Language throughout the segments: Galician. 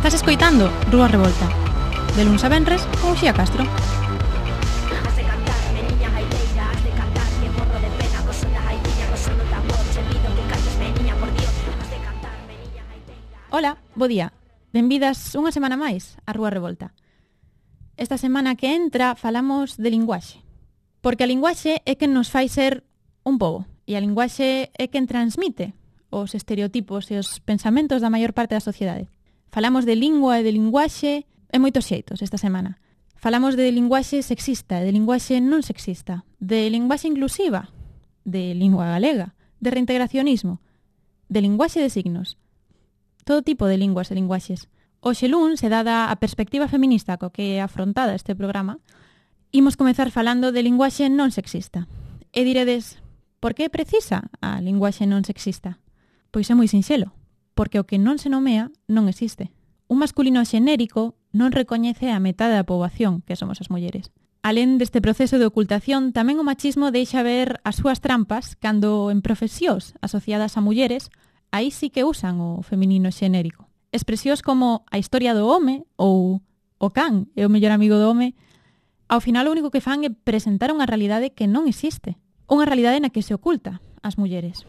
Estás escoitando Rúa Revolta, de luns a venres con Uxía Castro. Ola, bo día. Benvidas unha semana máis a Rúa Revolta. Esta semana que entra falamos de linguaxe, porque a linguaxe é quen nos fai ser un pobo, e a linguaxe é quen transmite os estereotipos e os pensamentos da maior parte da sociedade. Falamos de lingua e de linguaxe en moitos xeitos esta semana. Falamos de linguaxe sexista e de linguaxe non sexista, de linguaxe inclusiva, de lingua galega, de reintegracionismo, de linguaxe de signos, todo tipo de linguas e linguaxes. Hoxe luns, e dada a perspectiva feminista co que é afrontada este programa, imos comezar falando de linguaxe non sexista. E diredes, por que é precisa a linguaxe non sexista? Pois é moi sinxelo, porque o que non se nomea non existe. Un masculino xenérico non recoñece a metade da poboación, que somos as mulleres. Alén deste proceso de ocultación, tamén o machismo deixa ver as súas trampas cando en profesións asociadas a mulleres aí sí que usan o feminino xenérico. Expresións como a historia do home ou o can é o mellor amigo do home, ao final o único que fan é presentar unha realidade que non existe. Unha realidade na que se oculta as mulleres.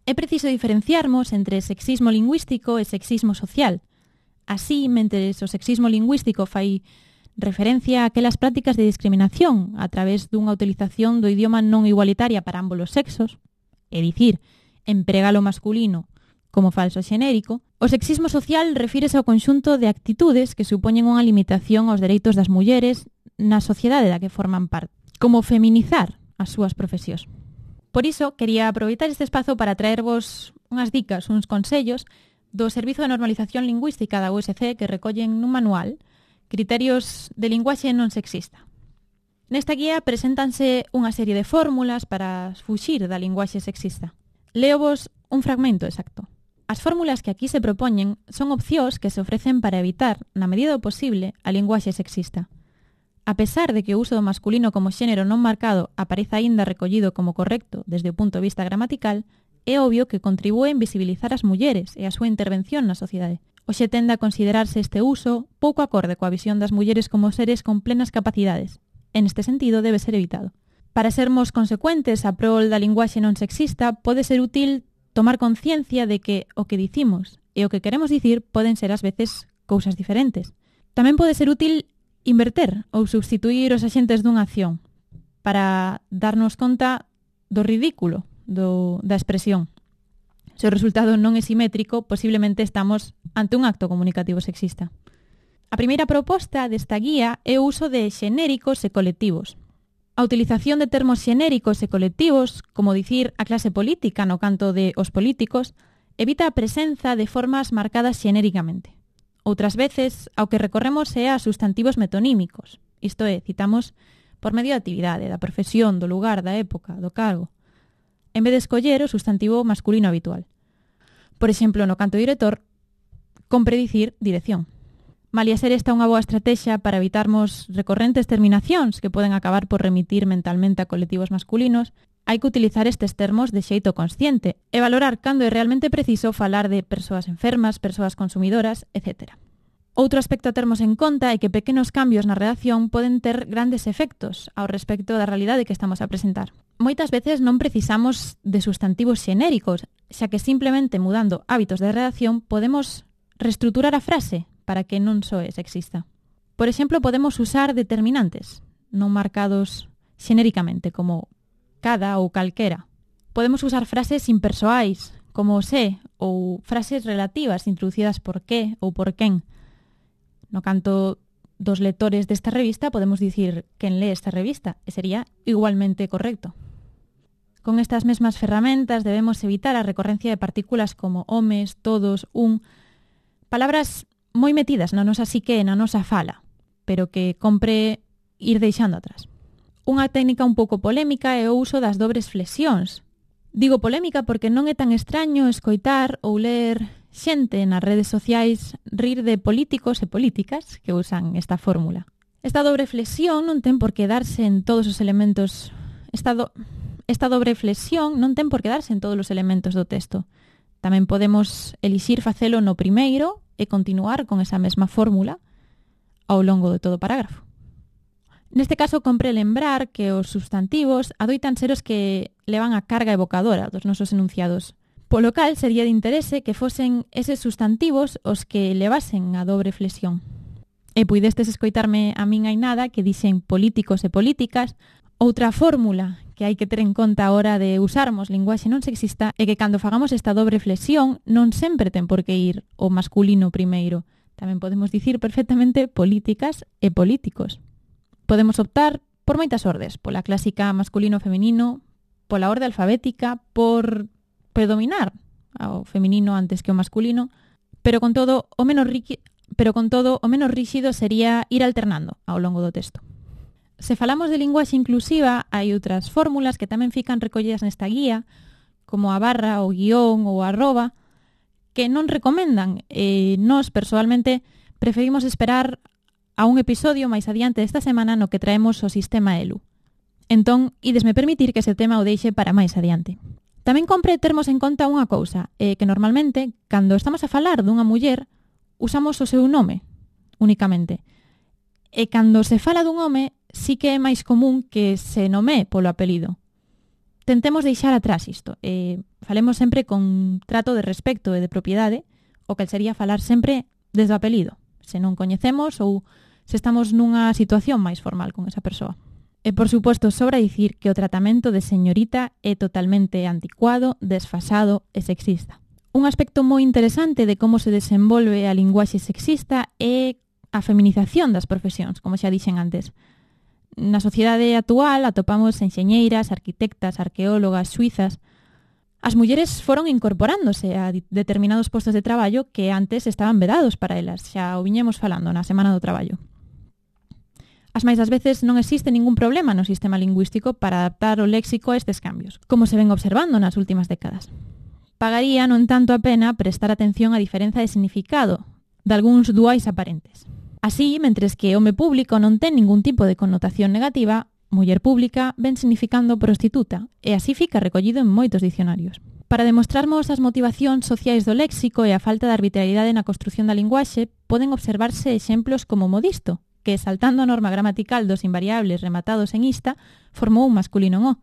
É preciso diferenciarmos entre sexismo lingüístico e sexismo social. Así, mentres o sexismo lingüístico fai referencia a aquelas prácticas de discriminación a través dunha utilización do idioma non igualitaria para ambos os sexos, é dicir, empregar o masculino como falso xenérico, o sexismo social refírese ao conxunto de actitudes que supoñen unha limitación aos dereitos das mulleres na sociedade da que forman parte, como feminizar as súas profesións. Por iso, quería aproveitar este espazo para traervos unhas dicas, uns consellos do Servizo de Normalización Lingüística da USC que recollen nun manual criterios de linguaxe non sexista. Nesta guía preséntanse unha serie de fórmulas para fuxir da linguaxe sexista. Leovos un fragmento exacto. As fórmulas que aquí se propoñen son opcións que se ofrecen para evitar, na medida do posible, a linguaxe sexista. A pesar de que o uso do masculino como xénero non marcado apareza aínda recollido como correcto desde o punto de vista gramatical, é obvio que contribúe a invisibilizar as mulleres e a súa intervención na sociedade. Hoxe tende a considerarse este uso pouco acorde coa visión das mulleres como seres con plenas capacidades. En este sentido, debe ser evitado. Para sermos consecuentes a prol da linguaxe non sexista, pode ser útil tomar conciencia de que o que dicimos e o que queremos dicir poden ser ás veces cousas diferentes. Tamén pode ser útil inverter ou substituir os axentes dunha acción para darnos conta do ridículo da expresión. Se o resultado non é simétrico, posiblemente estamos ante un acto comunicativo sexista. A primeira proposta desta guía é o uso de xenéricos e colectivos. A utilización de termos xenéricos e colectivos, como dicir a clase política no canto de os políticos, evita a presenza de formas marcadas xenéricamente. Outras veces, ao que recorremos é a sustantivos metonímicos, isto é, citamos por medio da actividade, da profesión, do lugar, da época, do cargo, en vez de escoller o sustantivo masculino habitual. Por exemplo, no canto director, compre dicir dirección. Malia ser esta unha boa estrategia para evitarmos recorrentes terminacións que poden acabar por remitir mentalmente a colectivos masculinos, hai que utilizar estes termos de xeito consciente e valorar cando é realmente preciso falar de persoas enfermas, persoas consumidoras, etc. Outro aspecto a termos en conta é que pequenos cambios na redacción poden ter grandes efectos ao respecto da realidade que estamos a presentar. Moitas veces non precisamos de sustantivos xenéricos, xa que simplemente mudando hábitos de redacción podemos reestruturar a frase para que non soe sexista. Por exemplo, podemos usar determinantes non marcados xenéricamente, como cada ou calquera. Podemos usar frases impersoais, como se, ou frases relativas introducidas por que ou por quen. No canto dos lectores desta revista podemos dicir quen lee esta revista, e sería igualmente correcto. Con estas mesmas ferramentas debemos evitar a recorrencia de partículas como homes, todos, un, palabras moi metidas na nosa psique e na nosa fala, pero que compre ir deixando atrás. Unha técnica un pouco polémica é o uso das dobres flexións. Digo polémica porque non é tan extraño escoitar ou ler xente nas redes sociais rir de políticos e políticas que usan esta fórmula. Esta dobre flexión non ten por que darse en todos os elementos. Esta dobre flexión non ten por que darse en todos os elementos do texto. Tamén podemos elixir facelo no primeiro e continuar con esa mesma fórmula ao longo de todo o parágrafo. Neste caso, compre lembrar que os substantivos adoitan ser os que levan a carga evocadora dos nosos enunciados. Polo cal, sería de interese que fosen eses substantivos os que levasen a dobre flexión. E puidestes escoitarme a min hai nada que dixen políticos e políticas. Outra fórmula que hai que ter en conta a hora de usarmos linguaxe non sexista é que cando fagamos esta dobre flexión non sempre ten por que ir o masculino primeiro. Tamén podemos dicir perfectamente políticas e políticos. Podemos optar por moitas ordes, pola clásica masculino-feminino, pola orde alfabética, por predominar ao feminino antes que o masculino, pero con todo o menos ríxido sería ir alternando ao longo do texto. Se falamos de linguaxe inclusiva, hai outras fórmulas que tamén fican recollidas nesta guía, como a barra, o guión ou a arroba, que non recomendan. Nós, persoalmente, preferimos esperar a un episodio máis adiante desta semana no que traemos o sistema ELU. Entón, idesme permitir que ese tema o deixe para máis adiante. Tamén compre termos en conta unha cousa, que normalmente, cando estamos a falar dunha muller, usamos o seu nome, únicamente. E cando se fala dun home, sí que é máis común que se nomee polo apelido. Tentemos deixar atrás isto. Falemos sempre con trato de respecto e de propiedade, o que sería falar sempre desde o apelido, se non coñecemos ou se estamos nunha situación máis formal con esa persoa. E, por suposto, sobra dicir que o tratamento de señorita é totalmente anticuado, desfasado e sexista. Un aspecto moi interesante de como se desenvolve a linguaxe sexista é a feminización das profesións, como xa dixen antes. Na sociedade actual atopamos enxeñeiras, arquitectas, arqueólogas, suizas. As mulleres foron incorporándose a determinados postos de traballo que antes estaban vedados para elas, xa o viñemos falando na Semana do Traballo. As máis das veces non existe ningún problema no sistema lingüístico para adaptar o léxico a estes cambios, como se ven observando nas últimas décadas. Pagaría non tanto a pena prestar atención á diferenza de significado de algúns duais aparentes. Así, mentres que home público non ten ningún tipo de connotación negativa, muller pública ven significando prostituta, e así fica recollido en moitos dicionarios. Para demostrarmos as motivacións sociais do léxico e a falta de arbitrariedade na construción da linguaxe, poden observarse exemplos como modisto, que, saltando a norma gramatical dos invariables rematados en ista, formou un masculino en o.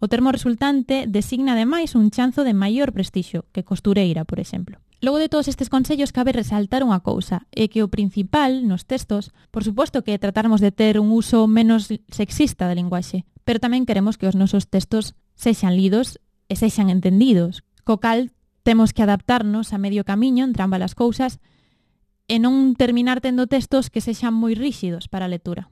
O termo resultante designa ademais un chanzo de maior prestixio que costureira, por exemplo. Logo de todos estes consellos, cabe resaltar unha cousa, é que o principal nos textos, por suposto que tratarmos de ter un uso menos sexista da linguaxe, pero tamén queremos que os nosos textos sexan lidos e sexan entendidos, co cal temos que adaptarnos a medio camiño entre ambas as cousas e non terminar tendo textos que sexan moi ríxidos para a lectura.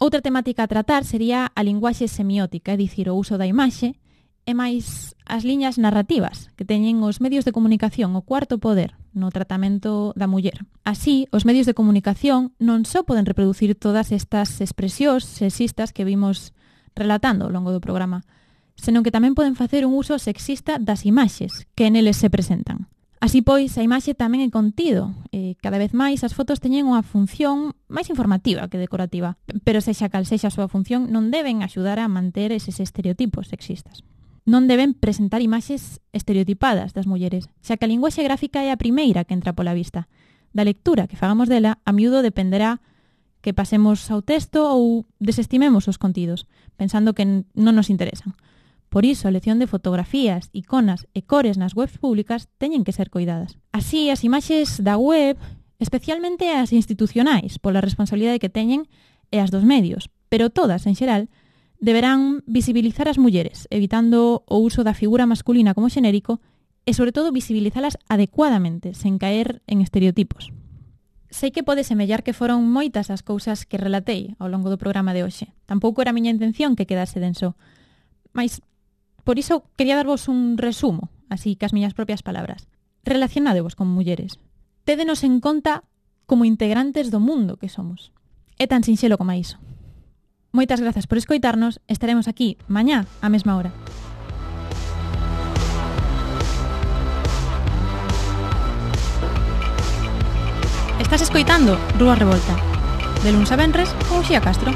Outra temática a tratar sería a linguaxe semiótica, é dicir, o uso da imaxe, e máis as liñas narrativas que teñen os medios de comunicación o cuarto poder no tratamento da muller. Así, os medios de comunicación non só poden reproducir todas estas expresións sexistas que vimos relatando ao longo do programa, senón que tamén poden facer un uso sexista das imaxes que neles se presentan. Así pois, a imaxe tamén é contido. Cada vez máis as fotos teñen unha función máis informativa que decorativa, pero sexa cal sexa a súa función non deben axudar a manter eses estereotipos sexistas. Non deben presentar imaxes estereotipadas das mulleres, xa que a linguaxe gráfica é a primeira que entra pola vista. Da lectura que fagamos dela, a miúdo dependerá que pasemos ao texto ou desestimemos os contidos, pensando que non nos interesan. Por iso, a elección de fotografías, iconas e cores nas webs públicas teñen que ser coidadas. Así, as imaxes da web, especialmente as institucionais, pola responsabilidade que teñen, e as dos medios, pero todas, en xeral, deberán visibilizar as mulleres, evitando o uso da figura masculina como xenérico e, sobre todo, visibilizalas adecuadamente, sen caer en estereotipos. Sei que pode semellar que foron moitas as cousas que relatei ao longo do programa de hoxe. Tampouco era a miña intención que quedase denso, mas por iso quería darvos un resumo, así que as miñas propias palabras. Relacionádevos con mulleres. Tédenos en conta como integrantes do mundo que somos. É tan sinxelo como iso. Moitas grazas por escoitarnos. Estaremos aquí mañá á mesma hora. Estás escoitando Rúa Revolta, de luns a venres con Uxía Castro.